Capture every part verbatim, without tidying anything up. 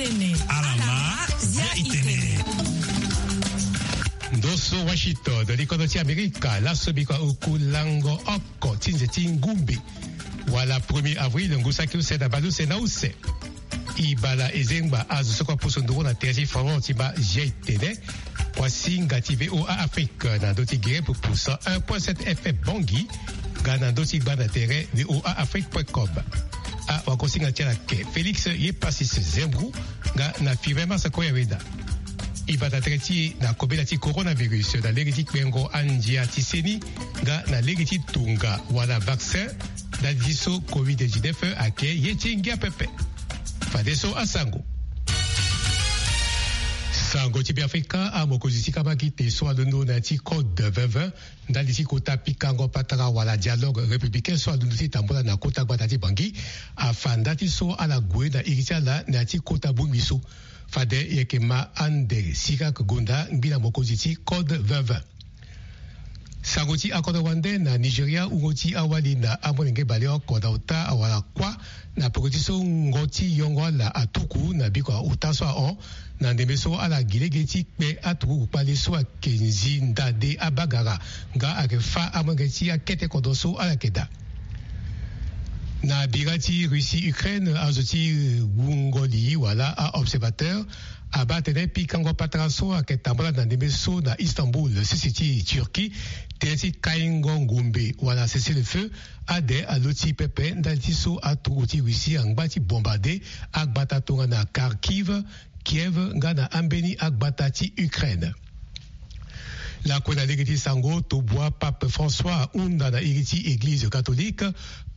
Alama, zia itene. Ndo so Washington, likodo ti Amerika, laso biko oku lango oko ti nze ti ngumbe, wala premier avril, ngu saki use na baleuse na use. E bala e zengba azo so kue apusu nduru na tere ti Faro ti baa zia itene. Kuasinga ti V O A Afrique na ndö ti gere pupu cent un point sept F M Bangui, nga na ndö ti gbanda tere V O A Afrique point com. Awagosinga ti ala ke Félix Yepasis Zembrou, nga na Firmin Massa Koyaweda. E bata tere ti e na kobela ti coronavirus na lege ti kpengo andia ti seni, nga na lege ti tunga wala vaccin ndali ti so covid dix-neuf ayeke ye ti ngia pepe. Fadeso asango. Sango ti Beafrika, amokonzi ti kabakite so alondo na ya ti code vingt vingt ndali ti kota pikango patara wala dialogue républicain so alondo ti tambula na kota gbata ti Bangui, afa nda ti so ala gue na iri ti ala na ya ti kota bongbi so. Fade e yeke ma ande Sirak Gonda, ngbila mokonzi ti code vingt vingt. Sango ti akodro wande na Nigeria, wungo ti awali na amolenge baleoko na ota awara kuâ na peko ti so ngo ti yongo ala atuku na biko ota so ahon, na ndembe so ala gi lege ti kpe aturugu kpale so ayeke nzi ndade abagara, nga ayeke fâ amolenge ti akete kodro so ala yeke daa. Na bira ti Russie Ukraine, azo ti wungo li wala a-observateur abaa atene pikango patara so ayeke tambula na ndembe so na Istanbul, sese ti Turquie, tënë ti kaingo ngumbe wala cessez-le-feu, ade aloti pepe ndali ti so aturugu ti Russie angba ti bombarde agbata tongana Kharkiv, Kiev nga na ambeni agbata ti Ukraine. Lakue na lege ti sango, tobua Pape François ahunda na iri ti Eglize catholique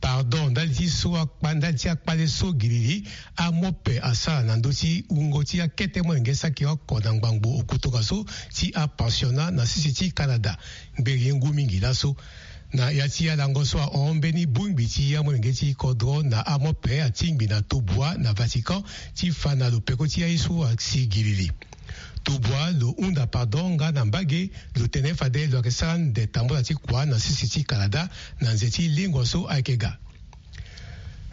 pardon ndali ti so akpa, ndali ti akpale so gilili amope asara na ndö ti wungo ti akete molenge saki oko na ngbangbo oku tongaso ti apensionnat na sese ti Canada. Ngberi ye ngu mingi laso. Na ya ti alango so ahon, mbeni bongbi ti amolenge ti kodro na amope atingbi na tobua na Vatican ti fa na lo peko ti aye so asi gilili. Tobua lo hunda pardon nga na mbage lo tene fade lo yeke sara ande tambula ti kua na sese ti Canada na nze ti lengua so ayeke ga.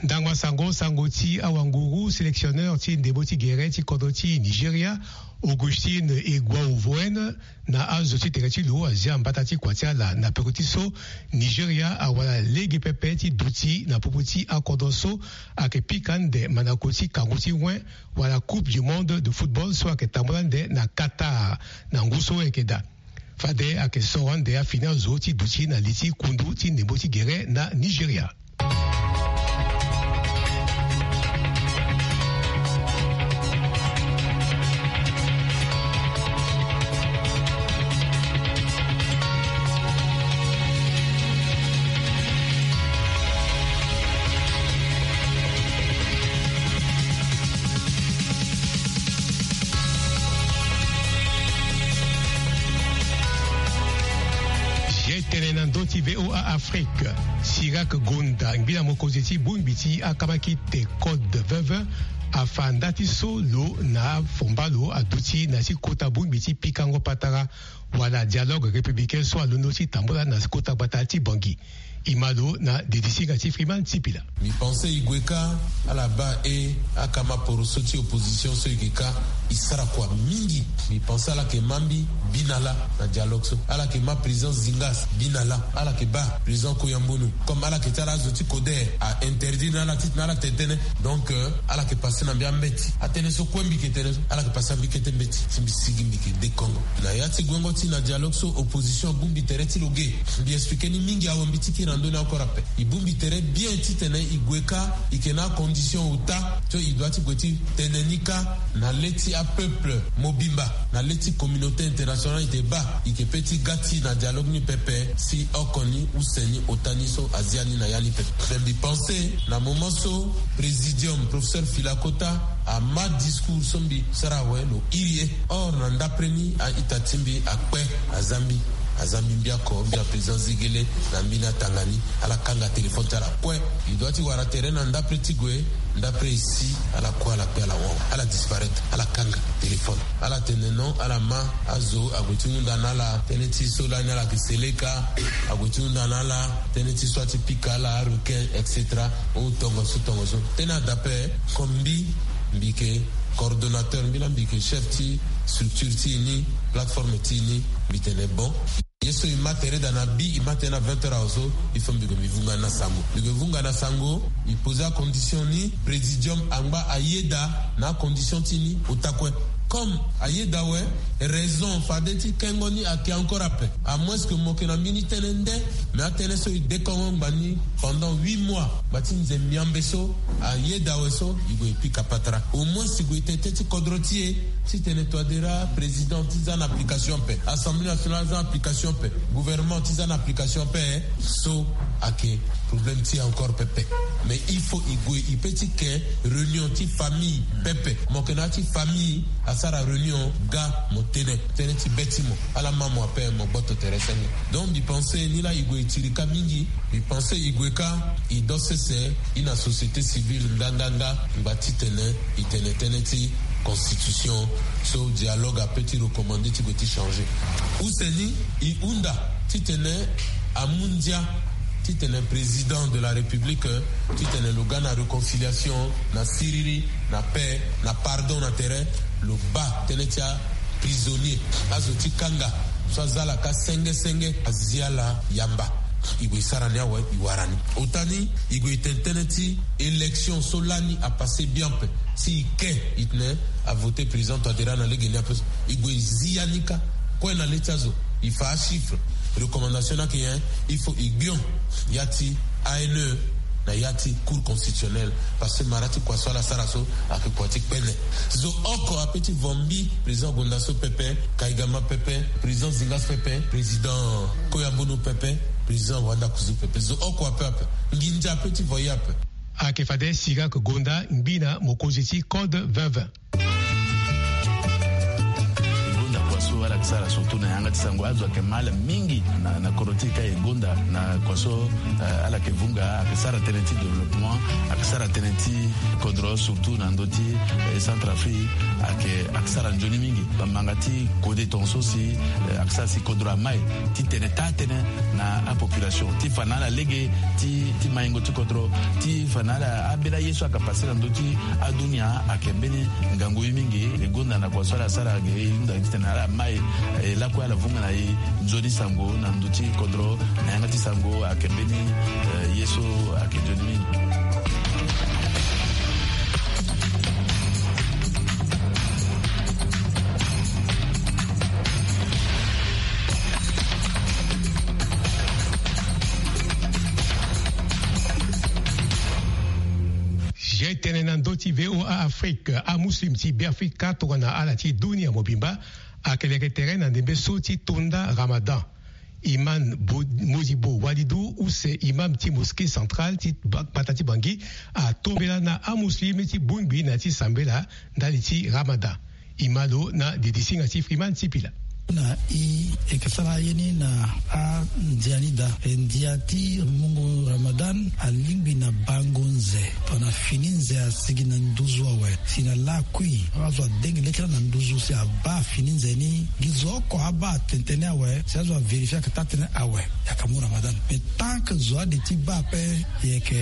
Ndangba sango, sango ti awanguru, sélectionneur ti ndembo ti gere ti kodro ti Nigeria, Augustine Egwauvoen, na azo ti tere ti lo azia mbata ti kua ti ala na peko ti so Nigeria awara lege pepe ti duti na popo ti akodro so ayeke pika ande mandako ti kangu ti wen wala Coupe du Monde de football so ayeke tambula ande na Qatar na ngu so ayeke daa. Fade ayeke soro ande afini azo ti duti na li ti kundu ti ndembo ti gere na Nigeria. Zia tene na ndö ti V O A Afrique, Sirak Gonda, ngbila mokonzi ti bongbi ti akabakite code vingt vingt, afa nda ti so lo na afomba lo aduti na ti kota bongbi ti pikango patara wala dialogue républicain so alondo ti tambula na kota gbata ti Bangui. E ma lo na dedisinga ti Freeman Sipila. Mbi pense e gue kâ ala baa e akama poroso ti opposition so e yeke kâ, e sara kua mingi. Mbi pense ala yeke ma mbi bi na lâ na dialogue so. Ala yeke ma président Zingas bi na lâ. Ala yeke baa président Koyambonu, comme ala yeke ti ala azo ti koder, a interdire na ala titene ala tene tënë. Donc, euh, ala yeke passe na mbi ambeti. Atënë so kue mbi yeke tene so, ala yeke passe na mbi kete mbeti. Si mbi sigi mbi yeke dekongo. Na ya ti guengo ti na dialogue so, opposition abongbi tere ti lo ge. Mbi expliqué ni mingi awe, mbi ti kiri na ndö ni encore ape. E bongbi tere bien titene e gue kâ, e yeke na acondition ota so e doit ti gue ti tene ni kâ na le ti apeuple mobimba, na le ti communauté internationale. E te baa e yeke pe ti ga ti na dialogue ni pepe si oko ni use ni ota ni so azia ni na ya ni pepe. Me mbi pense na moment so présidium, professeur Filakota ama discours so mbi sara awe, lo iri e. Or na ndapre ni a-ita ti mbi akpe, aza mbi, aza mbi mbi oko, mbi na président Zegele, na mbi na tanga ni. Ala kanga téléphone ti ala kue. E doit ti wara tere na ndapre ti gue, ndapre e si, ala kue ala kpe ala wawa, ala disparaître, ala kanga téléphone. Ala tene non, ala ma azo ague ti hunda na ala tënë ti so lani ala yeke seleka, ague ti hunda na ala tënë ti so ati pika ala arequin, et cetera. O tongaso tongaso. Tënë adape, comme mbi Mbi yeke coordonnateur, mbi laa mbi yeke chef ti structure ti e ni, plateforme ti e ni. Mbi tene bon, ye so e ma tere daa na bi, e ma tere na vingt heures awe so, il faut mbi gue mbi vunga na sango. Mbi gue vunga na sango, e poser acondition ni, présidium angba ayeda na acondition ti ni. Otakue, comme ayeda awe, raison fade ti kengo ni ayeke encore ape. À moins que mo yeke na mbeni tënë nde, mais atënë so e dekongo ngba ni pendant huit mois, ngba ti nze miambe so ayeda awe so, e gue e pika patara. Au moins e gue e tene tënë ti kodro ti e, titene Touadéra président ti za na application ape, Assemblée nationale aza na application ape, gouvernement ti za na application ape. So ayeke problème ti e encore pepe. Mais il faut e gue e pe ti ke réunion ti famille pepe. Mo yeke na ya ti famille, asara réunion, ga mo tene tënë ti be ti mo. Ala ma mo ape, mo gboto tere senge. Donc mbi pense ni laa e gue e tiri ka mingi. Mbi pense e gue ka, e do sese, e na société civile nga nga nga, ngba titene e tene tënë ti constitution so dialogue ape ti recommandé ti gue ti changer. Use ni, e hunda titene amu ndia titene président de la République, titene lo ga na réconciliation, na siriri, na paix, na pardon na tere. Lo baa tënë ti aprisonnier, azo ti kanga so aza ala ka senge senge, azi ala yamba. E gue e sara ni awe, e wara ni. Ota ni, e gue e tene tënë ti élection so lani apassé bien ape. Si e ke, e tene avoté président Touadéra na lege ni ape so, e gue e zi ya ni ka. Kue na le ti azo, e fa achiffre. Recommandation ni ayeke nyen? Il faut e gbion ya ti A N E na ya ti Cour constitutionnelle, parce que mara ti kua so ala sara so ayeke kua ti kpene. Zo oko ape ti vo mbi, président gonda so pepe, Kaigama pepe, président Zinga so pepe, président Koyambunu pepe, président Wanda Kuzu pepe. Zo oko ape ape. Nginza ape ti vo ye ape. Ayeke fade Sirak Gonda, ngbi na mokonzi ti Code vingt vingt. E gonda kua so ala yeke sara surtout na yanga ti sango, azo ayeke mal mingi na, na kodro ti e ka. E gonda na kua so, eh, ala yeke vunga, ayeke sara tënë ti développement, ayeke sara tënë ti kodro, surtout na ndö ti, eh, Centrafrique, ayeke, ayeke sara nzoni mingi. Bamanga ti kode tongaso si, eh, ayeke sara si kodro amai titene taa tënë na apopulation, ti fa na ala lege ti, ti maingo ti kodro, ti fa na ala, ambeni aye so ayeke passé na ndö ti adunia ayeke mbeni ngangu ye mingi. E gonda na kua so ala sara ge, e hunda titene ala mai, eh, lakue ala vunga na e nzoni sango na ndö ti kodro, na yanga ti sango ayeke mbeni, eh, ye so ayeke nzoni mingi. Ye tene na ndö ti V O A Afrique, amuslim ti Beafrika tongana ala ti dunia mobimba ayeke leke tere na ndembe so ti tonda Ramadan. Imam Bo-, Modibo Walidou, use imam ti mosquée centrale ti ba-, gbata ti Bangui, atombela na amuslim ti bongbi na ya ti sambela ndali ti Ramadan. E ma lo na didisinga ti Freeman Sipila. Na e yeke sara ye ni na andia ni daa. E ndia ti mungo Ramadan alingbi na bango nze. Tongana fini nze asigi na nduzu awe, si na lakui azo adengi le ti ala na nduzu si abaa fini nze ni. Gi zo oko abaa tene tënë ni awe, si azo avérifier ayeke taa tënë awe, e yeke mu Ramadan. Mais tant que zo ade ti baa ape, e yeke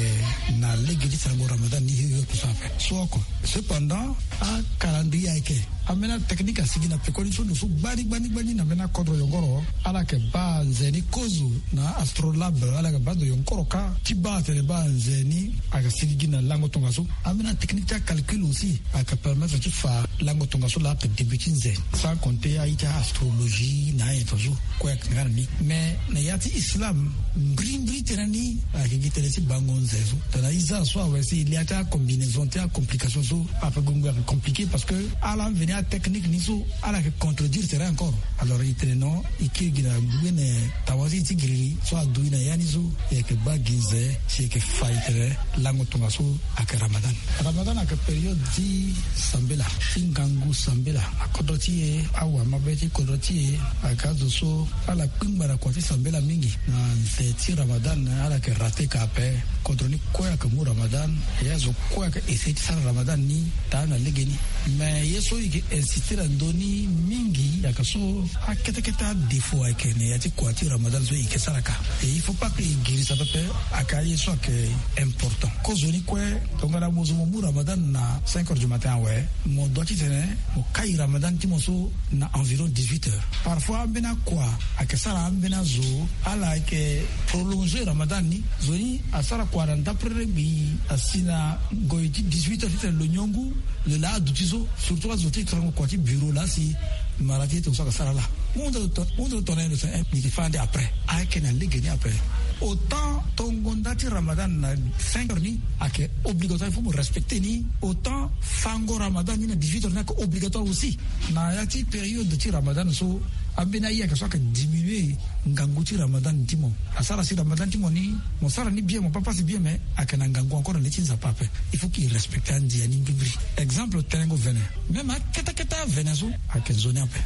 na lege ti sarango Ramadan ni hio hio kusala ape. So oko. Cependant, a calendrier ayeke, ambeni atechnique asigi na pekoni so, lo so gbani gbani gbani na ambeni akodro yongoro, ala yeke baa nze ni kozo na astrolabe, ala yeke baa ndo yongoro kâ ti baa atene baa nze ni ayeke sigi gi na lango tongaso. Ambeni atechnique ti acalcul aussi ayeke permettre ti fa lango tongaso laa ayeke début ti nze, sans compter aye ti aastrologie na ayen tongaso. Kue ayeke nga na ni. Mais na ya ti islam, mbirimbiri tënë ni ayeke gi tënë ti bango nze so. Tongana e za so awe, si e lia ti acombinaison ti acomplication so, ape gue ngoi ayeke compliqué, parce que ala mveni atechnique ni so, ala yeke contredire tere encore. Alors e tene non, e kiri gi na gbene tawanzi ti giriri so adu e na ya ni so, e yeke baa gi nze si e yeke fa e tene lango tongaso ayeke Ramadan. Ramadan ayeke période ti sambela, ti ngangu sambela. Akodro ti e, awamabe ti kodro ti e, ayeke azo so ala kpingba na kua ti sambela mingi. Na nze ti Ramadan ala yeke raté ka ape. Kodro ni kue ayeke mu Ramadan, e azo kue ayeke essayer ti sara Ramadan ni taa na legeni. Mais ye so e yeke insister na ndö ni mingi ayeke so, akete kete adéfaut ayeke na ya ti kua ti Ramadan so e yeke sara ka. Et il faut pas que e girisa pepe. Ayeke aye so ayeke important. Kozoni kue, tongana mo zo mo mu Ramadan na cinq heures du matin awe, mo doit titene mo kai Ramadan ti mo so na environ dix-huit heures. Parfois ambeni akua ayeke sara ambeni azo ala ayeke prolonger Ramadan ni. Zo ni asara kua na ndapre gbi asi na ngoi ti dix-huit heures titene lo niongu, lo laa aduti so, surtout azo ti trango kua ti bureau laa si mara ti ye tongaso ayeke sara laa. Mu hunde lo to-, mu hunde lo tongana ye lo tene, eh, mbi yeke fâ ande après. Ayeke na legeni après. Autant tongo nda ti Ramadan na cinq heures ni ayeke obligatoire, il faut mo respecter ni. Autant fango Ramadan ni na dix-huit heures ni ayeke obligatoire aussi. Na ya ti période ti Ramadan so, ambeni aye ayeke so ayeke diminuer ngangu ti Ramadan ti mo. Asara si Ramadan ti mo ni, mo sara ni bien, mo pas passe bien, mais ayeke na ngangu encore na li ti Nzapa ape. Il faut que e respecter andia ni mbirimbiri. Exemple, tenengo vene. Même akete kete avene so ayeke nzoni ape.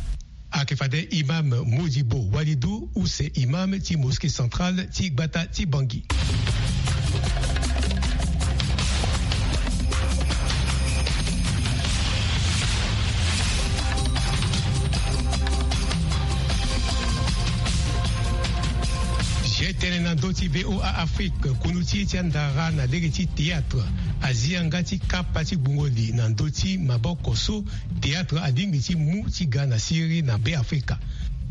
Ayeke fade Imam Modibo Walidou, use imam ti mosquée centrale ti gbata ti Bangui. Zi tënë na ndö ti V O A Afrique, kunu ti e ti andara na lege ti théâtre azi yanga ti kapa ti gbungo li na ndö ti maboko so théâtre alingbi ti mu ti ga na siriri na Beafrika.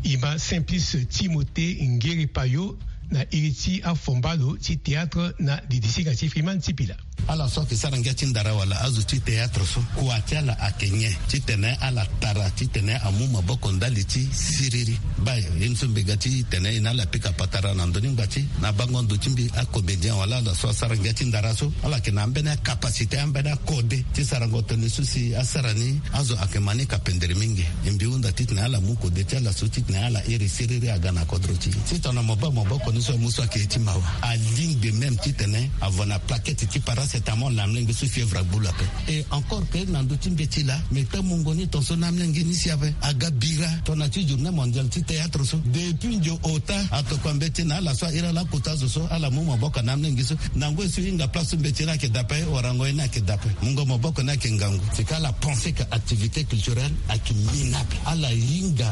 E ma Simplice Timothée Ngiri Payo na iri ti afomba lo ti théâtre na didisinga ti Freeman Sipila. Ala so ayeke sara ngia ti ndara wala azo ti théâtre so, kua ti ala ayeke nyen titene ala tara titene amu maboko ndali ti siriri? Baa ye ni so mbi ga titene e na ala pika patara na ndö ni ngbati. Na bango ndo ti mbi, acomédien wala ala so asara ngia ti ndara so, ala yeke na ambeni acapacité, ambeni akode ti sarango tënë so si asara ni azo ayeke ma ni kapendere mingi. E mbi hunda titene ala mu kode ti ala so titene ala iri siriri aga na kodro ti e. Titene mo baa maboko ni so amu so ayeke ye ti mawa. Alingbi même titene avo na plaquette ti paracétamol na amolenge so fièvre agbu lo ape. Et encore que na ndö ti mbeti laa, mbi kpe mungo ni tongaso na amolenge ni si ape aga bira tongana ti journée mondiale ti théâtre so. Depuis ndio ota atokua mbeti na ala so a iri ala akota azo so ala mu maboko na amolenge so. Na ngoi so e hinga place so mbeti ni ayeke daa ape, warango ye ni ayeke daa ape, mungo maboko ni ayeke ngangu. C'est que ala pense que activité culturelle ayeke minable. Ala hinga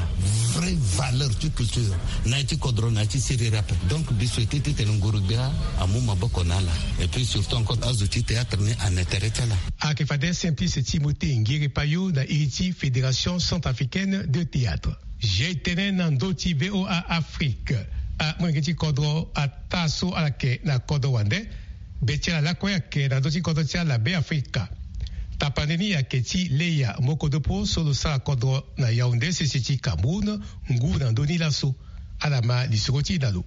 vraie valeur ti culture na ya ti kodro na ya ti siriri ape. Donc mbi souhaite titene nguru-gbia amu maboko na ala. Et puis surtout encore azo ti théâtre ni ana tere ti ala. Ayeke fade Simplice Timothée Ngiri Payo na iri ti Fédération Centrafricaine de Théâtre. Zi tënë na ndö ti V O A Afrique. Amolenge ti kodro ataa so ala yeke na kodro wande, be ti ala lakue ayeke na ndö ti kodro ti ala Beafrika. Tapande ni ayeke ti Leya Mokodopo so lo sara kodro na Yaoundé, sese ti Cameroun, ngu na ndö ni laso. Ala ma lisoro ti e na lo.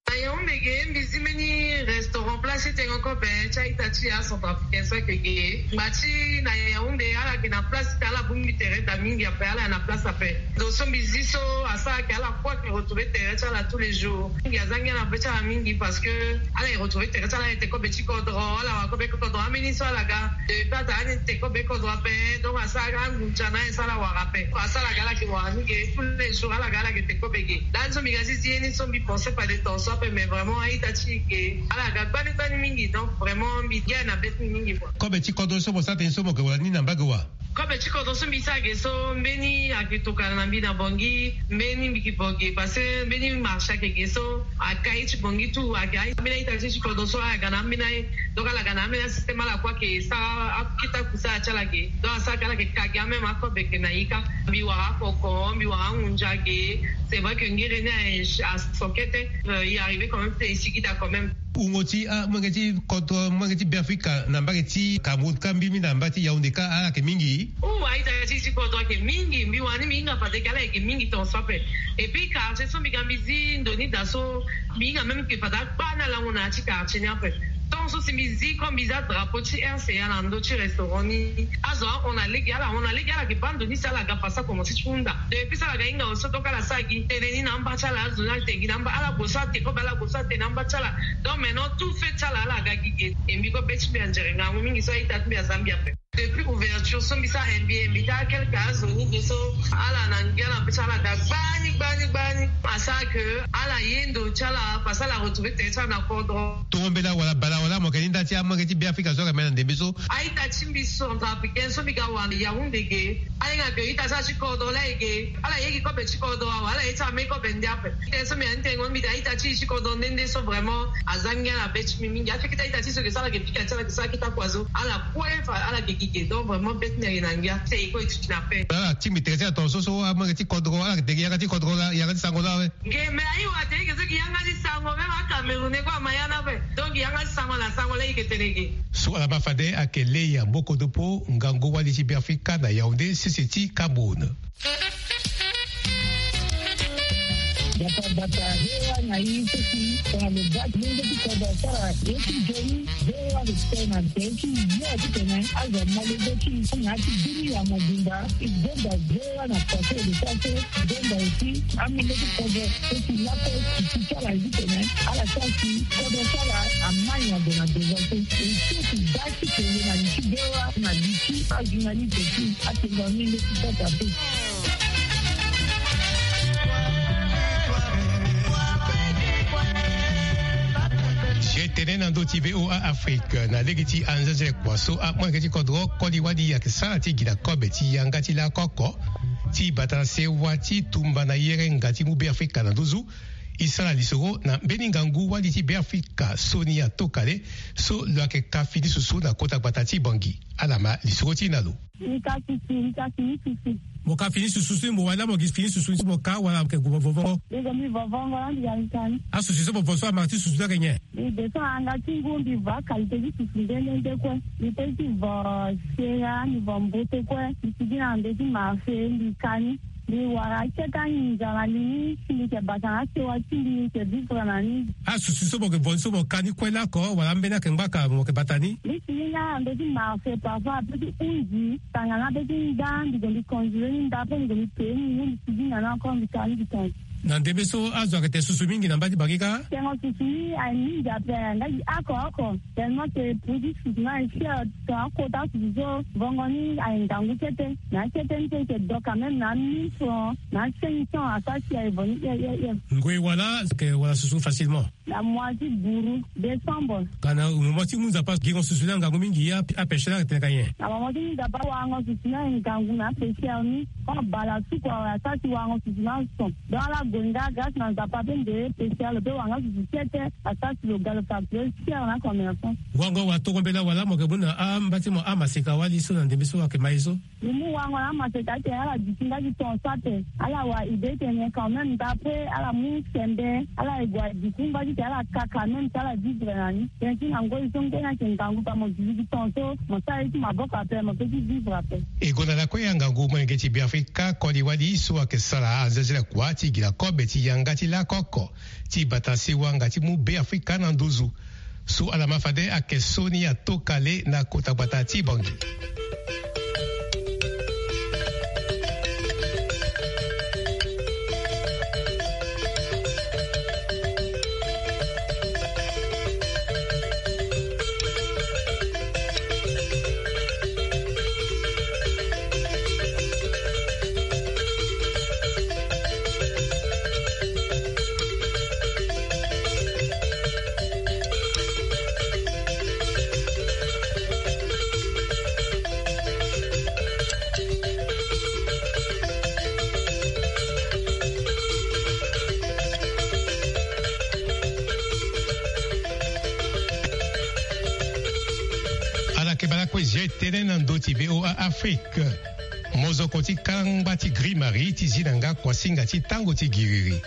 Na Yaoundé ge, mbi zi mbeni restaurant, place ti tengo kobe ti a-ita ti acentrafricain so ayeke ge. Ngba ti na Yaoundé, ala yeke na place ti ala bongbi tere daa mingi ape, ala na place ape. Ndo so mbi zi so asara ayeke ala kue ayeke retrouver tere ti ala tous les jours. Mingi aza ngia na be ti ala mingi parce que ala yeke retrouver tere ti ala, ala yeke te kobe ti kodro, ala wara kobe kodro. Ambeni so ala ga depuis ata ani te kobe kodro ape, donc asara angunza na ye so ala wara ape. Asara aga ala yeke wara ni ge tous les jours, ala ga ala yeke te kobe ge. Lani so mbi ga ti zi ye ni so mbi pense fade tongaso ape, mais vraiment a-ita ti e ge ala ga gbani gbani mingi, donc vraiment mbi ge na be ti mbi mingi. Kobe ti kodro so mo sara tënë so mo yeke wara ni na mbage wa? Kobe ti kodro so mbi sara ge so, mbeni ayeke tokana na mbi na Bangui, mbeni mbi yeke vo ge parce que mbeni marché ayeke ge so, akai ti Bangui tout ayeke. Ambeni a-ita ti kodro so ala ga na ambeni aye, donc ala ga na ambeni asystème, ala kue ayeke sara akita kusala ti ala ge. Donc asara ke ala yeke ka ge, ameme akobe yeke na ye kâ. Mbi wara akoko, mbi wara angunza ge. C'est vrai que ngere ni aye aso kete, euh, e arrive quand même ti e sigi daa quand même. Wungo ti amolenge ti kodro, amolenge ti Beafrika na mbage ti Cameroun kâ, mbirimbiri na mbage ti Yaoundé kâ, ala yeke mingi? Ou a-ita ti e ti kodro ayeke mingi. Mbi wani mbi hinga fade ke ala yeke mingi tongaso ape. Et puis quartier so mbi ga mbi zi ndo ni daa so, mbi hinga même ke fade akpa ni alango na ya ti quartier ni ape. Tant so si mbi zi, comme mbi zi adrapeau ti R C A na ndö ti restaurant ni, azo ahon na lege, ala hon na lege, ala yeke baa ndo ni si ala ga fade so akomanse ti hunda. Depuis so ala ga hinga so, donc ala sara gi tënë ni na amba ti ala, azo ni ala te gi na amba, ala gue so ate kobe, ala gue so ate na amba ti ala. Donc maintenant tout fait ti ala, ala ga gi ge. E mbi kue be ti mbi anzere ngangu mingi so a-ita ti mbi aza mbi ape. Depuis ouverture so mbi sara mbi mbi ta quelque azo ni ge so ala na ngia na pe ti ala ga gbani gbani gbani. Asara ke ala ye ndo ti ala parce que ala retrouve tere ti ala na kodro. Torombela wala bala wala mo yeke ni nda ti amolenge ti Beafrika so ayeke ma na ndembe so. A-ita ti mbi centrafricain so mbi ga wara na Yaoundé ge, ahinga ke ita ti ala ti kodro laa e ge. Ala ye gi kobe ti kodro awe, ala ye ti ame kobe nde ape. Tënë so mbi yeke ni tënë ngo mbi tene a-ita ti e ti kodro nde nde so vraiment aza ngia na be ti mbi mingi. Afe kita a-ita ti e so yeke sara yeke pika ti ala yeke sara kita kua so ala kue fa ala yeke gi ge. Donc vraiment be ti mbi ayeke na ngia. Te e kue e duti na pe. Ala ti mbi tere ti ala tongaso so amolenge ti kodro ala yeke tere yanga ti kodro laa, yanga ti sango laa awe. Nge me aye wa te eke so gi yanga ti sango même aCameroun e kue ama ya ni ape. Donc gi yanga ti sango na sango laa eke tene ge. So ala ma fade ayeke Leya Mokodopo, ngangu wali ti Beafrika na Yaoundé, sese ti Cameroun. Bata bata hewa na i sesi tongana lo bati lenge ti kodro asara ye ti joni. Hewa lo tene na be ti yo ti tene azo mo lenge ti i na ya ti bini ya mobimba. I zonza hewa na pase lo sara so zonza aussi amolenge ti kodro sesi lako ti ti ti ala ye ti tene ala sara si kodro ti ala amai na gue na devant so. E so ti baa ti kele na li ti hewa na li ti ajournaliste ti atengo amolenge ti kota pe. Si e tene na ndö ti V O A Afrique na lege ti anzenze kua so amolenge ti kodro koli wali ayeke sara ti gi na kobe ti yanga ti lakoko ti bata na sewa ti tumba na yerenga ti mu Beafrika na nduzu. E sara lisoro na mbeni ngangu wali ti Beafrika Sonia Tokale so lo yeke ka fini susu na kota gbata ti Bangui. Ala ma lisoro ti e na lo. Mbi ka susu, mbi ka fini susu. Mo ka fini susu si mo wali laa mo gi fini susu si mo ka wala mo yeke gue mo vo vongo? Mbi gue mbi vo vongo laa mbi ga mbi ka ni. Asusu so mo vo so ama ti susu ni ayeke nyen? Mbi gue so na yanga ti ngu mbi vo akalité ti susu nde nde nde kue. Mbi pe ti vo sera, mbi vo mbote kue. Mbi sigi na ndö ti marché mbi ka ni. Mbi wara akete anginza na li ni si mbi yeke bata na asewa ti mbi mbi yeke vivre na ni. Asusu so mo yeke vo ni so mo ka ni kue lako wala ambeni ayeke ngbaka mo yeke bata ni? Mbi sigi nga na ndö ti marché parfois ape ti hunzi tanga na ape ti nda mbi gue mbi conduire ni nda ape mbi gue mbi pee ni ni mbi sigi nga na encore mbi ka ni mbi tonga. Na ndembe so azo ayeke te susu mingi na mba ti Bangui kâ? Tengo susu ni aye mingi ape nga gi oko oko. Tellement que produit susu na e cher. Tongana akota susu so vongo ni aye ngangu kete. Na akete ni so e yeke doka même na mille francs na cinq cents asara si aye vo ni hie hie hie. Ngoi wala ke wala susu facilement? Na mois ti buru décembre. Ka na moment ti mu nzapa gingo susu ni angangu mingi a, apêcheur ni ayeke tene ka nyen? Na moment ti mu nzapa warango susu ni aye ngangu na apêcheur ni. Quand bala suku awe asara si warango susu ni ason. Donc ala gue nga grâce na nzapa pe nde pêcheur lo pe wara nga susu kete. Asara si lo ga lo facture cher na commerçant. Wango watoro mbela wala mo yeke mu na amba ti mo amaseka wali so na ndembe so ayeke ma ye so? Mbi mu wango na amaseka ti tene ala duti nga ti tongaso ape. Ala wara idée ti tene quand même nda ape ala mu sembe ala ye gue aduti ngba ti tene ala ka quand même ti ala vivre na ni. Tënë ti na ngoi so nge ni ayeke ngangu pa mo duti ti tongaso mo sara ye ti maboko ape mo pe ti vivre ape. E gonda lakue angangu molenge ti Beafrika koli wali so ayeke sara anzenze lakua ti gi na kobe ti yanga ti lakoko ti bata sewa nga ti mu Beafrika na nduzu. So ala ma fade ayeke Sonia Tokale na kota gbata ti Bangui. Ala yeke bala kue zia e tënë na ndö ti V O A Afrique. Mozoko ti kangba ti Gris Marie ti zi na nga kuasinga ti tango ti giriri.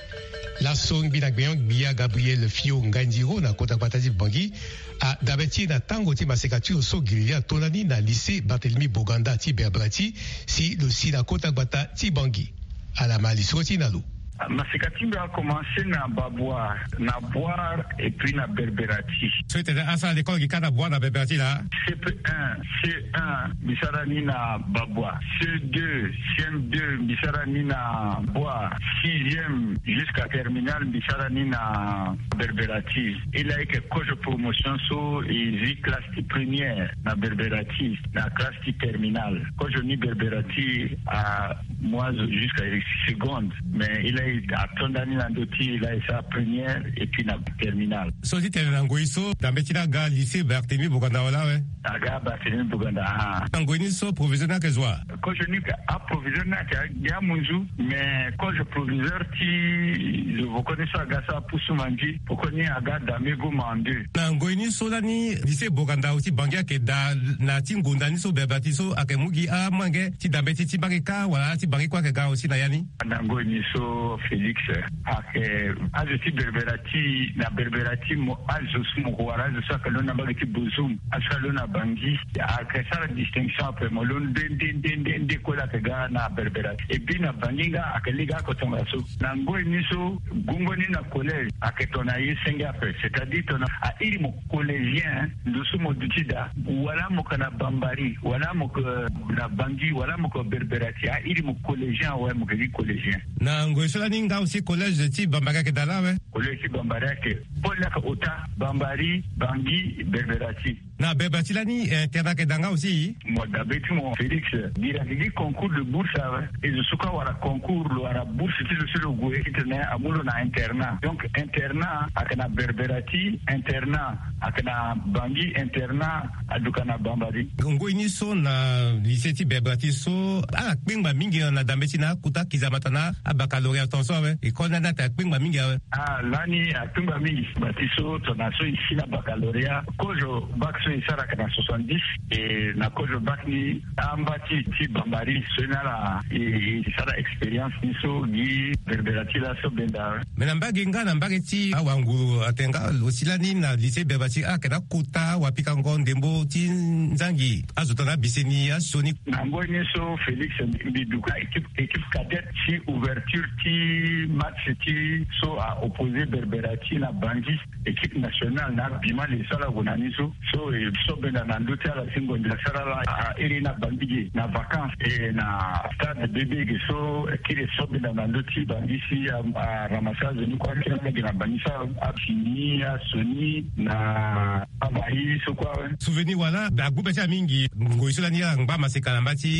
Laso ngbi na gbenyo-gbia Gabriel Fio Ngandiro na kota gbata ti Bangui adabe ti e na tango ti maseka ti lo so giriri ato ndani na lycée Barthélemy Boganda ti Berbrati si lo si na kota gbata ti Bangui. Ala ma lisoro ti e na lo. Maseka ti mbi akomanse na Babwa, na Bwar, et puis na Berberati. So ete asara lekole gi kâ na Bwar na Berberati laa? C P un, C un mbi sara ni na Babwa. C deux, C M deux mbi sara ni na Bwar. Sixième jusqu'à terminale mbi sara ni na Berberati. E laa eke kozo promotion so e zi classe ti première na Berberati, na classe ti terminale. Kozo ni Berberati amu azo jusqu'à seconde, mais e laa e ato ndani na ndö ti e laa e sara première et puis na terminale. So ti tene na ngoi so, dambe ti laa aga lycée Barthélemy Boganda wala awe? Aga Barthélemy Boganda, ah. Na ngoi ni so proviseur ni ayeke zo wa? Kozo ni, aproviseur ni ayeke gi amunzu, mais kozo proviseur ti zo voko ni so aga sara pusu mangi, voko ni aga dambe goma en deux. Na ngoi ni so lani lycée Boganda aussi Bangui ayeke daa na ti ngonda ni so Berberati so ayeke mu gi amolenge ti dambe ti ti Bangui kâ wala ti Bangui kue ayeke ga aussi na ya ni? Na ngoi ni so Félix, ayeke azo ti Berberati, na Berberati mo azo so mo ko wara azo so ayeke londo na mbage ti Bozoum, azo so alondo na Bangui, ayeke sara distinction ape, mo londo nde nde nde nde nde kue laa ayeke ga na Berberati. Et puis na Bangui nga ayeke lege oko tongaso. Na ngoi ni so gongo ni na collège ayeke tongana ye senge ape, c'est-à-dire tongana a iri mo collégien, ndo so mo duti daa, wala mo yeke na Bambari, wala mo yeke na Bangui, wala mo yeke Berberati, a iri mo collégien awe, mo yeke gi collégien. Na ngoi so lani nga aussi collège ti Bambari ayeke daa laa awe? Collège ti Bambari ayeke, pôle ni ayeke ota, Bambari, Bangui, Berberati. Na Berberati lani, eh, internat ayeke daa nga aussi? Mo dabe ti mo Félix, gi ayeke gi concours de bourse awe. E zo so kue awara concours, lo wara bourse ti lo si lo gue titene amu lo na internat. Donc internat ayeke na Berberati, internat ayeke na Bangui, internat aduka na Bambari. Ngoi ni so na lycée ti Berberati so ala kpengba mingi na dambe ti na akota kizamata na abaccalauréat tongaso awe. École ni lani ayeke akpengba mingi awe. Ah, lani akpengba mingi. Bati so tongana so e si na baccalauréat, kozo bac so e sara ayeke na soixante-dix, e na kozo bac ni amba ti ti Bambari so ni ala e, e sara expérience ni so gi Berberati laso benda. Mais na mbage nga na mbage ti awanguru atene nga lo si lani na lycée Berberati ayeke na akota wapikango ndembo ti nzangi azo tongana abise ni asioni. Na ngoi ni so Félix, mbi duka équipe, équipe cadette ti ouverture ti match ti so a opposé Berberati na Bangui, équipe nationale na abima le so ala gue na ni so. So e so benda na ndö ti ala si ngonda asara ala a iri na Bangui ge na vacances, e na stade bébé ge so kiri so benda na ndö ti Bangui si a, a ramassé azo ni kue akiri ala ge na Bangui so afini asioni na amai so kue awe. Souvenir wala agbu be ti ala mingi ngoi so lani ala ngba maseka na mba ti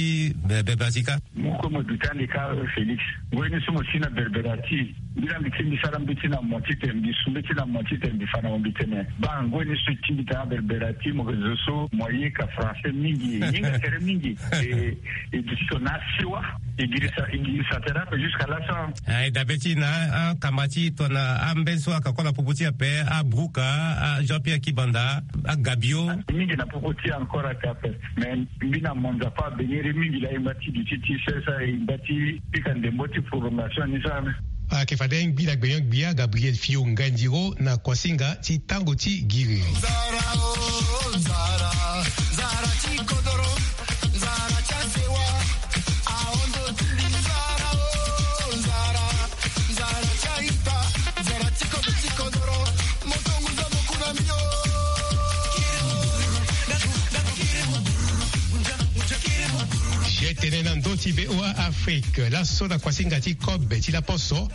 Be, Berberati kâ. Mo kue mo duti ande kâ, Félix. Ngoi ni so mo si na Berberati, mbi la mbi ti mbi sara mbeti na mo titene mbi su mbeti na mo titene mbi fa na mo mbi tene, baa, ngoi ni so e ti mbi tene na Berberati mo yeke zo so mo yeka français mingi, yenga tere mingi. E, e duti tongana asiwa, e girisa, e girisa tere ape jusqu'à laso. Ah, e dabe ti na akamba ti tongana ambeni so ayeke kue na popo ti e ape, Abrouka, a Jean-Pierre Kibanda, a Gabio. Mingi na popo ti e encore ayeke ape. Mais mbi na mo Nzapa abengere mingi laa e ngba ti duti ti sesa e ngba ti pika ndembo ti prolongation ni so ame. Ayeke fade ngbi na gbenyo-gbia Gabriel Fio Ngandiro na kuasinga ti tango ti giri. Nzara o, nzara, nzara ti kodoro, nzara ti asewa, ahondo ti mbi nzara o, nzara, nzara ti aita, nzara ti kobe ti kodoro. Je tene na ndö ti V O A Afrique, laso na kuasinga ti kobe ti laposo,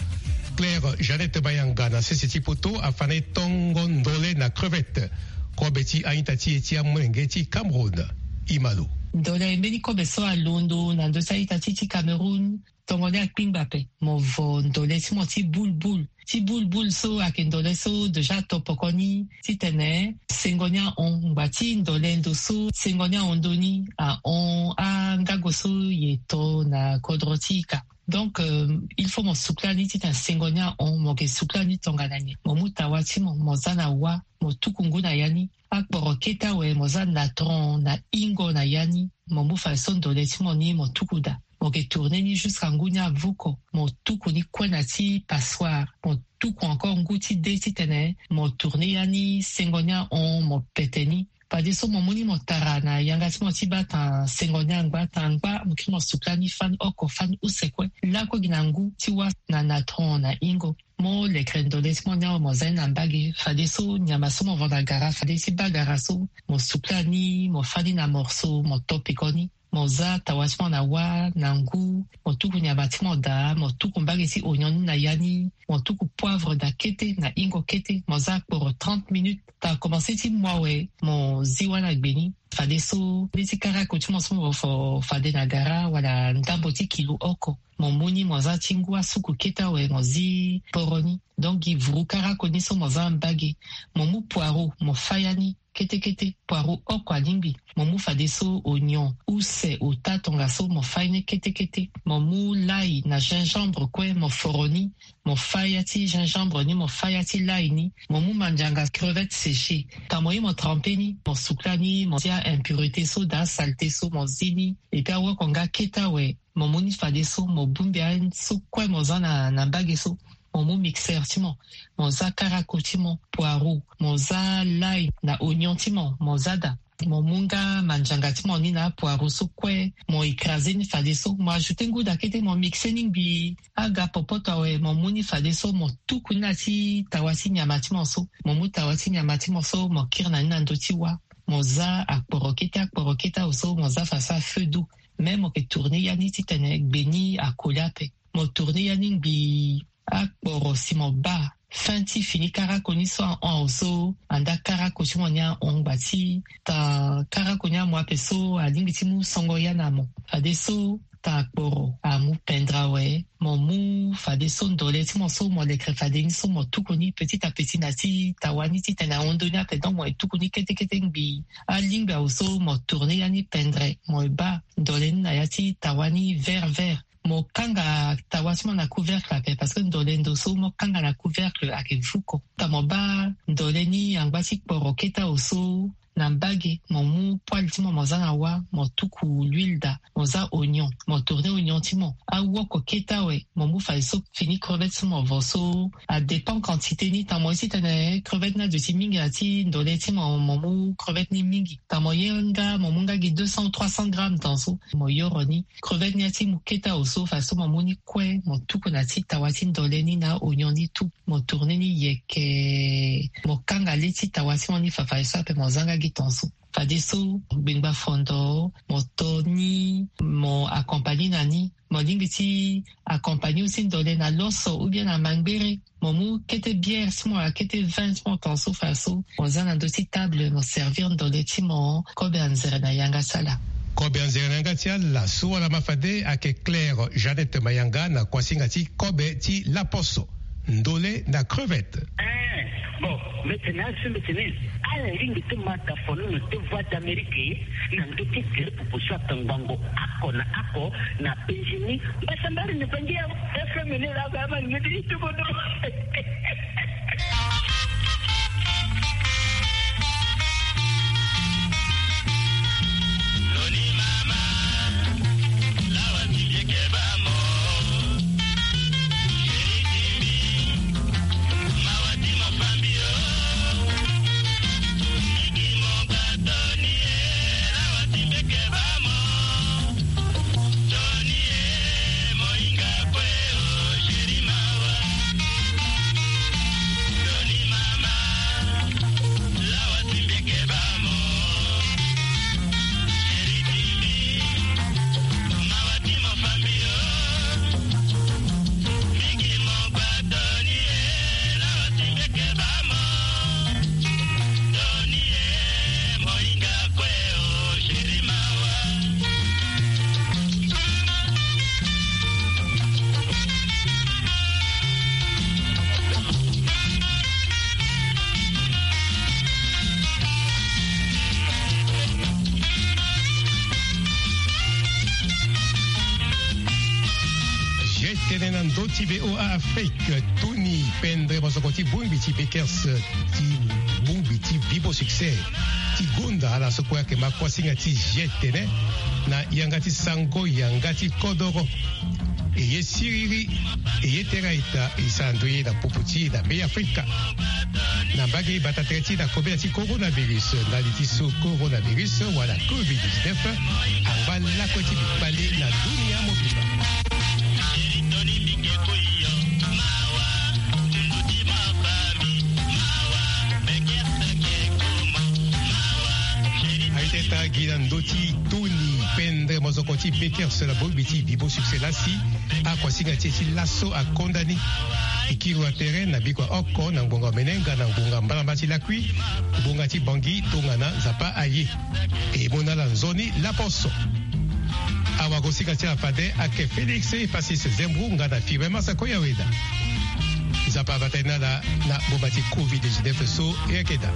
Claire Jeannette Mayanga na sese ti poto afa na e tongo ndole na crevette, kobe ti a-ita ti e ti amolenge ti Cameroun. Imalo. Ndole mbeni kobe so alondo na ndö ti a-ita ti ti Cameroun. Tongo ni akpingba ape, mo vo ndole ti mo ti bulbul. Ti bulbul so ayeke ndole so déjà ato poko ni titene sengo ni ahon. Ngba ti ndole ndo so sengo ni ahon ndo ni, ahon angago so e to na kodro ti ika. Donc, euh, il faut mo sukula ni titene sengo ni ahon, mo yeke sukula ni tongana nyen? Mo mu tawa ti mo, mo za na wa, mo tuku ngu na ya ni. Akporo kete awe mo za na tron na ingo na ya ni, mo mu fadeso ndole ti mo ni mo tuku daa. Mo yeke tourner ni jusqu'à ngu ni avuko, mo tuku ni kue na ti passoire, mo tuku encore ngu ti de titene mo tourner ya ni sengo ni ahon, mo pete ni. Fadeso mo mu ni mo tara na yanga ti mo ti baa tan sengo ni angba tan angba mo kiri mo sukula ni fani oko fani use kue lakue gi na ngu ti wâ na natron na ingo. Mo lekere ndole ti mo ni awe mo za ni na mbage fadeso nyama so mo va na gara fade ti baa gara so mo sukula ni mo fani na morso mo to peko ni. Mo za tawa ti mo na wâ na ngu. Mo tuku nyama ti mo daa mo tuku mbage ti ognon ni na ya ni. Mo tuku poivre daa kete na ingo kete mo za akporo trente minutes. Tanga komanse ti mo awe mo zi wâ na gbe ni. Fadeso nde ti karako ti mo so mo fo fade na gara wala ndambo ti kilo oko. Mo mu ni mo za ti ngu asuku kete awe mo zi poro ni. Donc gi vuru karako ni so mo za mbage. Mo mu poireau mo faya ni kete kete poireau oko alingbi. Mo mu fadeso ognon use ota tongaso mo faya ni kete kete. Mo mu lai na gingembre kue mo foro ni. Mo faya ti gingembre ni mo faya ti lai ni. Mo mu mandianga crevette séchée. Tanga mo ye mo trempe ni mo sukula ni mo zi aimpurité so daa saleté so mo zi ni. Epui awoko nga kete awe mo mu ni fadeso mo bongbi aye so kue mo za na na mbage so. Mo mu mixeur ti mo. Mo za karako ti mo poireau mo za lai na ognon ti mo mo za daa. Mo mu nga mandianga ti mo ni na apoireau so kue mo écrase ni fadeso mo ajoute ngu daa kete mo mixe ni ngbii. Aga popoto awe mo mu ni fadeso mo tuku ni na ti tawa ti nyama ti mo so. Mo mu tawa ti nyama ti mo so mo kiri na ni na ndö ti wâ. Mo za akporo kete akporo kete awe so mo za fadeso afeu doux. Même mo ke tourner ya ni titene gbe ni akoli ape. Mo tourner ya ni ngbii. Akporo si mo baa fin ti fini karako ni so ahon awe so anda karako ti mo ni ahon ngba ti tanga karako ni amu ape so alingbi ti mu songo ya na mo. Fadeso tanga akporo amu pendre awe. Mo mu fadeso ndole ti mo so mo lekere fade ni so mo tuku ni petit à petit na ti tawa ni titene ahon ndö ni ape donc mo ye tuku ni kete kete ngbii. Alingbi awe so mo tourner ya ni pendre mo ye baa ndole ni na ya ti tawa ni vert vert. Mo kanga tawa ti mo na couvercle ape parce que ndole ndo so mo kanga na couvercle ayeke vuko. Tanga mo baa ndole ni angba ti kporo kete awe so na mbage mo mu poêle ti mo mo za na wâ mo tuku l'huile daa mo za ognon mo tourner ognon ti mo. Awoko kete awe mo mu fadeso fini crevette so mo vo so. Adépend quantité ni tanga mo ye titene crevette ni aduti mingi na ti ndole ti mo mo mu crevette ni mingi. Tanga mo ye nga mo mu nga gi deux cents ou trois cents grammes tan so mo yoro ni. Crevette ni ati mu kete awe so fadeso mo mu ni kue mo tuku na ti tawa ti ndole ni na ognon ni tout. Mo tourner ni yeke mo kanga le ti tawa ti mo ni fa fadeso ape mo za nga gi tan so. Fadeso gbengba fondo mo to ni mo accompagner na ni. Mo lingbi ti accompagner aussi ndole na loso ou bien na mangbere. Mo mu kete bière ti mo wala kete vin ti mo tan so fadeso mo za na ndö ti table mo servir ndole ti mo. Kobe anzere na yanga ti ala. Kobe anzere na yanga ti ala so wala ma fade ayeke Claire Jeannette Mayanga na kuasinga ti kobe ti laposo. Ndole na crevette. Eh, bon, mbetene asu mbetene ala lingbi ti mata fono na te voie d'Amérique na ndö ti gere pupu so atangbango ako na ako na penzi ni. Mbasambari ni pangi ya FM ni la ba ma ngedi itu bodo. Tene na ndö ti VOA Afrique tuni pendre mosoko ti bongbi ti Bakers ti bongbi ti Bibo Succès ti gonda ala so kue ayeke ma kuasinga ti G T N na yanga ti sango yanga ti kodoro. E ye siriri e ye tere a-ita e sara ndoye na popo ti e na Be Afrika. Na mbage bata tere ti na kobela ti coronavirus, ndali ti so coronavirus wala covid dix-neuf angba lakue ti bikpale na dunia mobimba. Aiteta gi na ndö ti toni pendre mozoko ti bekers na bongbi ti bibo succès lasi. Akuasinga ti e ti laso akonda ni. Ikiri wa tere na biko oko na ngbonga omene nga na ngbonga mbalamba ti lakui. Ngbonga ti bangi tongana nzapa aye. E mona ala nzoni laposo. Awagosinga ti ala fade ake Félix Pacis Zembro nga na Firmin Masako Yaweda. Nzapa abata ni ala na boma ti covid dix-neuf so e yeke daa.